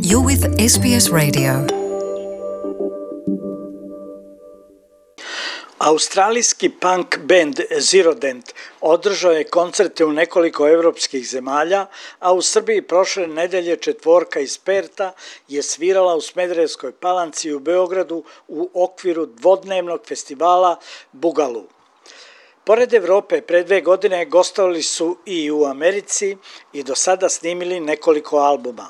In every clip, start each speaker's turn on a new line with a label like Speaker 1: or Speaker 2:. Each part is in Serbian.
Speaker 1: You're with SBS Radio.
Speaker 2: Australijski punk band Zero Dent održao je koncerte u nekoliko evropskih zemalja, a u Srbiji prošle nedelje četvorka iz Perta je svirala u Smederevskoj Palanci u Beogradu u okviru dvodnevnog festivala Bugalu. Pored Evrope, pre 2 godine gostovali su i u Americi i do sada snimili nekoliko albuma.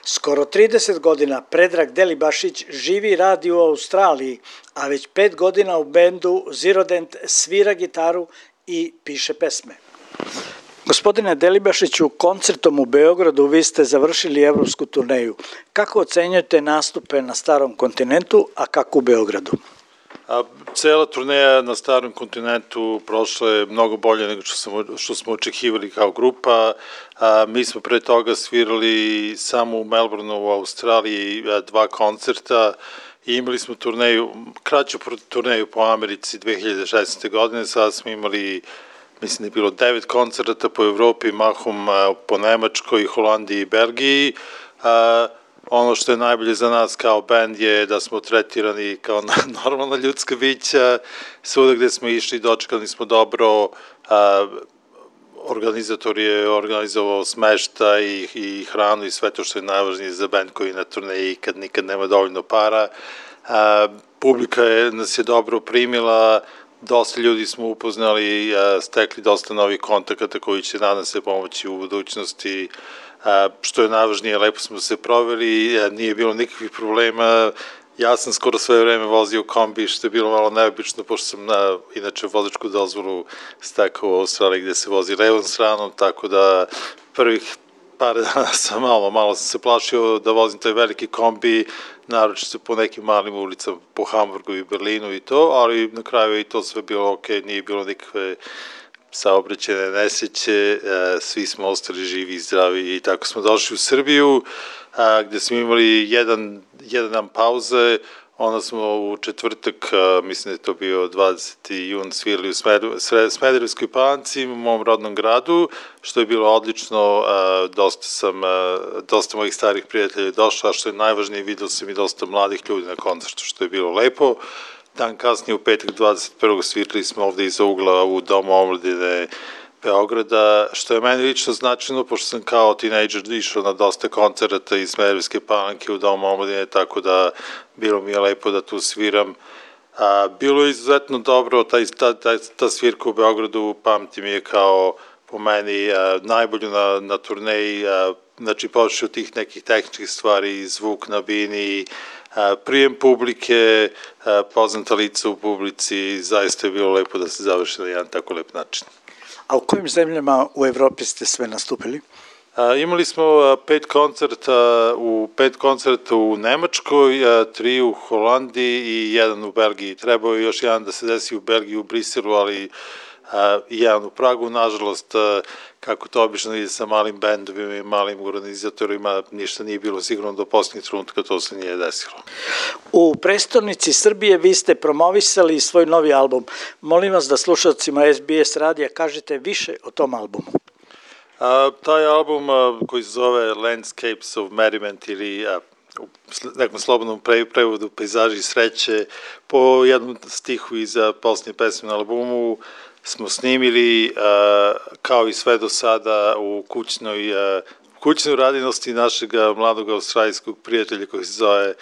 Speaker 2: Skoro 30 godina Predrag Delibašić živi i radi u Australiji, a već 5 godina u bendu Zero Dent svira gitaru i piše pesme. Gospodine Delibašiću, koncertom u Beogradu vi ste završili evropsku turneju. Kako ocenjujete nastupe na Starom kontinentu, a kako u Beogradu?
Speaker 3: Cela turneja na Starom kontinentu prošla je mnogo bolje nego što smo očekivali kao grupa. Mi smo pre toga svirali samo u Melbourneu u Australiji 2 koncerta i imali smo kraću turneju po Americi 2016. godine. Sada smo imali, mislim da je bilo 9 koncerta po Evropi, mahom po Nemačkoj, Holandiji i Belgiji. Ono što je najbolje za nas kao band je da smo tretirani kao normalna ljudska bića. Svuda gde smo išli dočekali smo dobro, organizator je organizovao smeštaj i hranu i sve to što je najvažnije za band koji je na turneji kad nikad nema dovoljno para. Publika nas je dobro primila, dosta ljudi smo upoznali, stekli dosta novih kontakata koji će nadam se pomoći u budućnosti. Što je najvažnije, lepo smo se proveli, nije bilo nikakvih problema. Ja sam skoro sve vreme vozio kombi, što je bilo malo neobično, pošto sam inače vozačku dozvolu stekao u Australiji gde se vozi levom stranom, tako da prvih par dana sam malo sam se plašio da vozim taj veliki kombi, naročito po nekim malim ulicama, po Hamburgu i Berlinu i to, ali na kraju je i to sve bilo okej, nije bilo nikakve saobraćajne nesreće, svi smo ostali živi i zdravi i tako smo došli u Srbiju, gde smo imali jedan dan pauze, onda smo u četvrtak, mislim da je to bio 20. jun, svirali u Smederevskoj Palanci, u mom rodnom gradu, što je bilo odlično, dosta mojih starih prijatelja je došlo, a što je najvažnije, vidio sam i dosta mladih ljudi na koncertu, što je bilo lepo. Dan kasnije, u petak 21. svirali smo ovde iza ugla u Domu omladine Beograda, što je meni lično značajno, pošto sam kao tinejdžer išao na dosta koncerata iz Smederevske Palanke u Domu omladine, tako da bilo mi je lepo da tu sviram. Bilo je izuzetno dobro, ta svirka u Beogradu pamtim je kao po meni najbolju na turneji, znači počeo tih nekih tehničkih stvari, zvuk na bini, prijem publike, poznata lica u publici, zaista je bilo lepo da se završi na jedan tako lep način.
Speaker 2: A u kojim zemljama u Evropi ste sve nastupili?
Speaker 3: Imali smo 5 koncerta u Nemačkoj, 3 u Holandiji i 1 u Belgiji. Trebao je još jedan da se desi u Belgiji, u Briselu, ali i jedan u Pragu. Nažalost, kako to obično ide sa malim bendovima i malim organizatorima, ništa nije bilo sigurno do posljednjeg trenutka, to se nije desilo.
Speaker 2: U prestonici Srbije vi ste promovisali svoj novi album. Molim vas da slušalcima SBS radija kažete više o tom albumu.
Speaker 3: Taj album koji se zove Landscapes of Merriment ili u nekom slobodnom prevodu Pejzaži sreće, po jednom stihu iz posljednje pesme na albumu smo snimili kao i sve do sada u kućnoj radinosti našeg mladog australijskog prijatelja koji se zove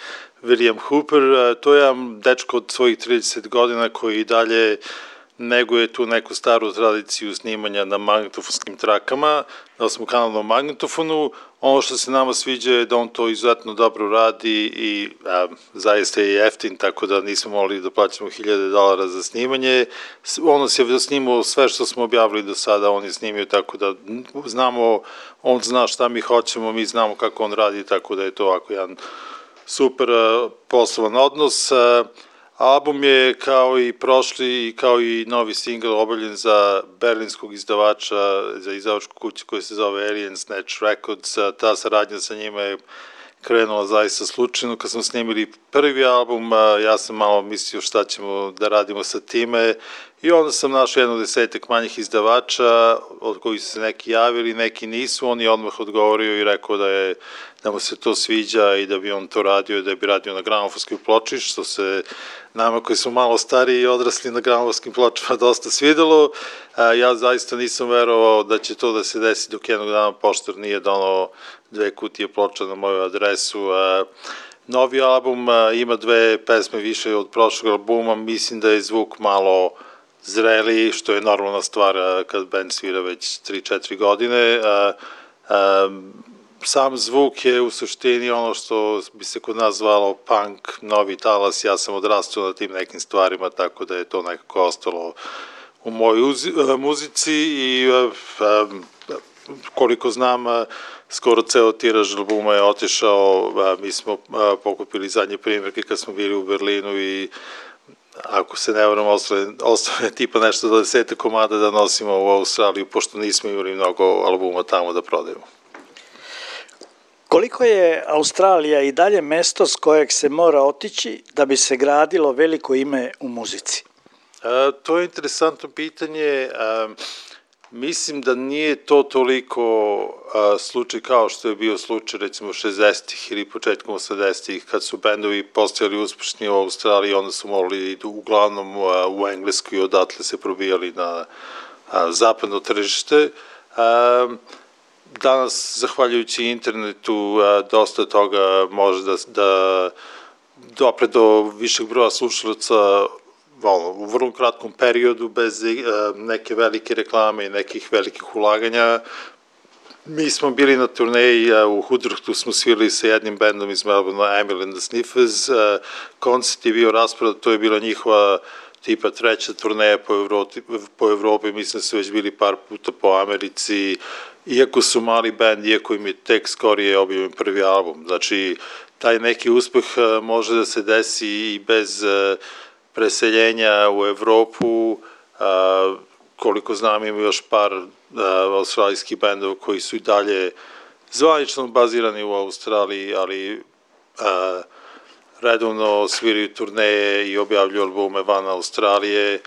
Speaker 3: William Hooper. To je jedan dečko od svojih 30 godina koji i dalje neguje tu neku staru tradiciju snimanja na magnetofonskim trakama, na osmokanalnom magnetofonu. Ono što se nama sviđa je da on to izuzetno dobro radi i zaista je jeftin, tako da nismo mogli da plaćamo $1000 za snimanje. On nas je snimao sve što smo objavili do sada, on je snimio tako da znamo, on zna šta mi hoćemo, mi znamo kako on radi, tako da je to ovako jedan super poslovan odnos. Album je kao i prošli i kao i novi singl obavljen za berlinskog izdavača, za izdavačku kuću koja se zove Alien Snatch Records. Ta saradnja sa njima je krenula zaista slučajno. Kad smo snimili prvi album, ja sam malo mislio šta ćemo da radimo sa time I onda sam našao 10 manjih izdavača, od kojih su se neki javili, neki nisu, on je odmah odgovorio i rekao da mu se to sviđa i da bi on to radio, da bi radio na gramofonskoj ploči, što se nama koji smo malo stariji i odrasli na gramofonskim pločama dosta svidelo. Ja zaista nisam verovao da će to da se desi dok jednog dana poštar nije donao 2 kutije ploča na moju adresu. Novi album ima 2 pesme više od prošlog albuma, mislim da je zvuk malo zreliji, što je normalna stvar kad band svira već 3-4 godine. Sam zvuk je u suštini ono što bi se kod nas zvalo punk, novi talas, ja sam odrastao na tim nekim stvarima, tako da je to nekako ostalo u mojoj muzici i koliko znam, skoro ceo tiraž albuma je otišao, mi smo pokupili zadnje primjerke kad smo bili u Berlinu i ako se ne varam, ostane tipa nešto do 10 komada da nosimo u Australiju, pošto nismo imali mnogo albuma tamo da prodajemo.
Speaker 2: Koliko je Australija i dalje mesto s kojeg se mora otići da bi se gradilo veliko ime u muzici?
Speaker 3: To je interesantno pitanje. Mislim da nije to toliko slučaj kao što je bio slučaj recimo 60-ih ili početkom 80-ih kad su bendovi postajali uspešni u Australiji, onda su morali idu uglavnom u Englesku i odatle se probijali na zapadno tržište. Danas, zahvaljujući internetu, dosta toga može da dopre do višeg broja slušalaca u vrlo kratkom periodu, bez neke velike reklame i nekih velikih ulaganja. Mi smo bili na turneji, u Hudruhtu smo svirali sa jednim bendom iz Melbourne, Emil and the Sniffers, koncert je bio rasprodat, to je bila njihova tipa 3. turneja po Evropi, mislim da su već bili par puta po Americi, iako su mali band, iako im je tek skorije objavljen prvi album. Znači, taj neki uspeh može da se desi i bez preseljenja u Evropu, koliko znam ima još par australijskih bendova koji su i dalje zvanično bazirani u Australiji, ali redovno sviraju turneje i objavljuju albume van Australije.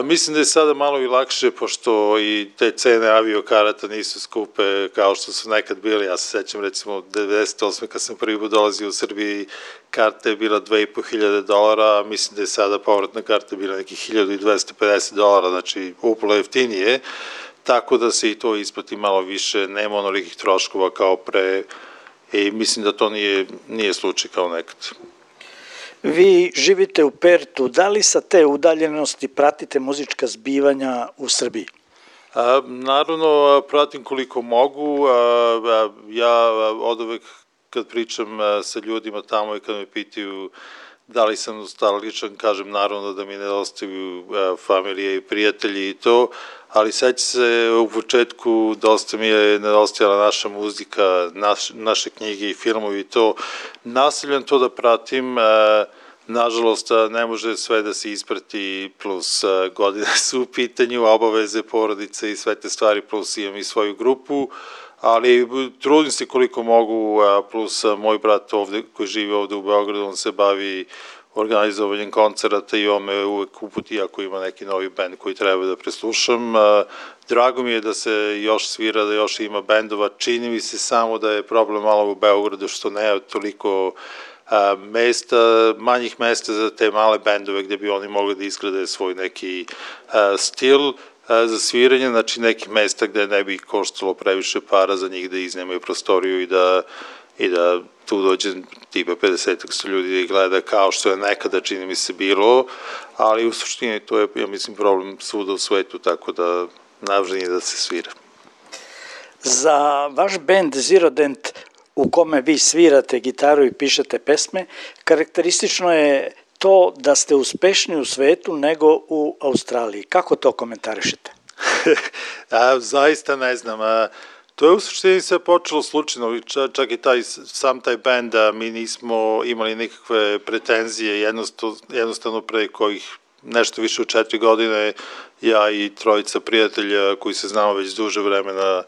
Speaker 3: Mislim da je sada malo i lakše, pošto i te cene aviokarata nisu skupe kao što su nekad bili. Ja se sećam recimo 98. kad sam prvi put dolazio u Srbiji, karta je bila $2.500, mislim da je sada povratna karta bila nekih $1.250, znači upolo jeftinije, tako da se i to isplati malo više, nema onolikih troškova kao pre i mislim da to nije slučaj kao nekad.
Speaker 2: Vi živite u Pertu, da li sa te udaljenosti pratite muzička zbivanja u Srbiji?
Speaker 3: Naravno, pratim koliko mogu. Ja oduvek kad pričam sa ljudima tamo i kad me pitaju da li sam nostalgičan, kažem naravno da mi nedostaju familije i prijatelji i to, ali seća se u početku dosta mi je nedostajala naša muzika, naše knjige i filmovi i to. Nastavljam to da pratim, nažalost ne može sve da se isprati, plus godine su u pitanju, obaveze, porodice i sve te stvari, plus imam i svoju grupu, ali trudim se koliko mogu, plus moj brat ovde, koji živi ovde u Beogradu, on se bavi organizovanjem koncerata i on me uvek uputi ako ima neki novi band koji treba da preslušam. Drago mi je da se još svira, da još ima bendova, čini mi se samo da je problem malo u Beogradu što nema toliko manjih mesta za te male bendove gde bi oni mogli da izgrade svoj neki stil za sviranje, znači neki mesta gde ne bi koštalo previše para za njih da iznemaju prostoriju i da tu dođe tipa 50 ljudi da ih gleda kao što je nekada čini mi se bilo, ali u suštini to je, ja mislim, problem svuda u svetu, tako da najvažnije je da se svira.
Speaker 2: Za vaš band Zero Dent, u kome vi svirate gitaru i pišete pesme, karakteristično je to da ste uspešni u svetu nego u Australiji. Kako to komentarišete?
Speaker 3: Zaista ne znam. To je u suštini sve počelo slučajno, čak i sam taj band, mi nismo imali nikakve pretenzije, jednostavno pre kojih nešto više od 4 godine, ja i trojica prijatelja koji se znamo već duže vremena,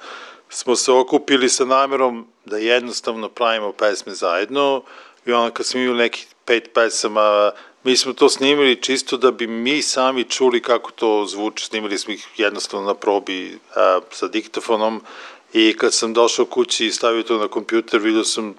Speaker 3: smo se okupili sa namerom da jednostavno pravimo pesme zajedno i onda kad smo imali nekih 5 pesama, Mi smo to snimili čisto da bi mi sami čuli kako to zvuči. Snimili smo ih jednostavno na probi sa diktofonom i kad sam došao kući i stavio to na kompjuter, vidio sam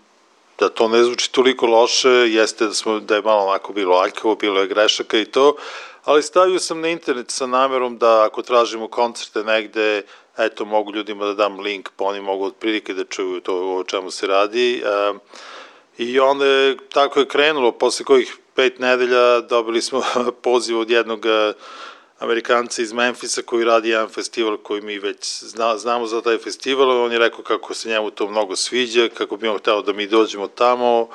Speaker 3: da to ne zvuči toliko loše, jeste da je malo onako bilo aljkavo, bilo je grešaka i to, ali stavio sam na internet sa namerom da ako tražimo koncerte negde, eto, mogu ljudima da dam link, pa oni mogu otprilike da čuju to o čemu se radi. I onda tako je krenulo, posle kojih 5 nedelja dobili smo poziv od jednog Amerikanca iz Memfisa koji radi jedan festival koji mi već znamo za taj festival. On je rekao kako se njemu to mnogo sviđa, kako bi on hteo da mi dođemo tamo.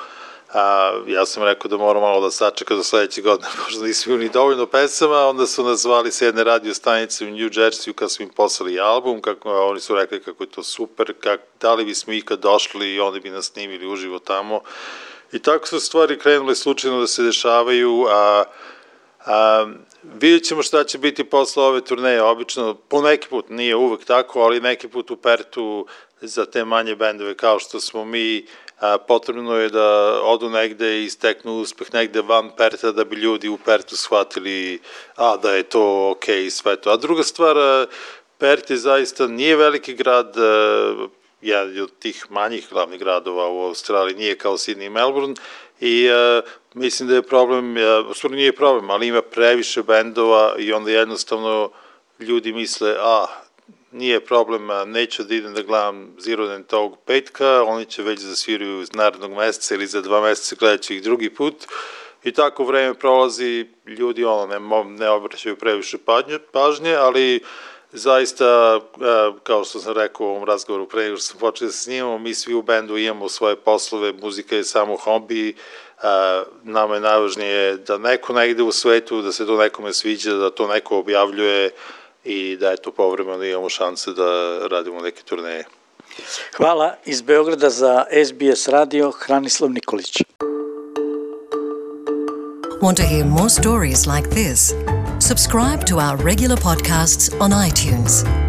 Speaker 3: Ja sam rekao da moram malo da sačeka do sledeće godine, možda nismo imali dovoljno pesama. Onda su nas zvali sa jedne radio stanice u New Jerseyu kad smo im poslali album, oni su rekli kako je to super, da li bismo ikad došli i oni bi nas snimili uživo tamo. I tako su stvari krenule slučajno da se dešavaju, vidjet ćemo šta će biti posle ove turneje. Obično, po neki put, nije uvek tako, ali neki put u Pertu za te manje bendove kao što smo mi, potrebno je da odu negde i steknu uspeh negde van Perta da bi ljudi u Pertu shvatili da je to okej i sve to. A druga stvar, Pert je zaista nije veliki grad, jedan od tih manjih glavnih gradova u Australiji, nije kao Sydney i Melbourne i mislim da je problem, stvarno nije problem, ali ima previše bendova i onda jednostavno ljudi misle, nije problem, neću da idem da gledam Zero Dent tog petka, oni će već da sviraju iz narednog meseca ili za 2 meseca, gledat ću ih drugi put i tako vreme prolazi, ljudi ne obraćaju previše pažnje, ali zaista, kao što sam rekao u ovom razgovoru pre nego što sam počeo da snimamo, mi svi u bendu imamo svoje poslove, muzika je samo hobi, nama je najvažnije da neko negde u svetu, da se to nekome sviđa, da to neko objavljuje i da eto povremeno imamo šanse da radimo neke turneje.
Speaker 2: Hvala. Iz Beograda za SBS radio Hranislav Nikolić.
Speaker 1: Want to hear more stories like this? Subscribe to our regular podcasts on iTunes.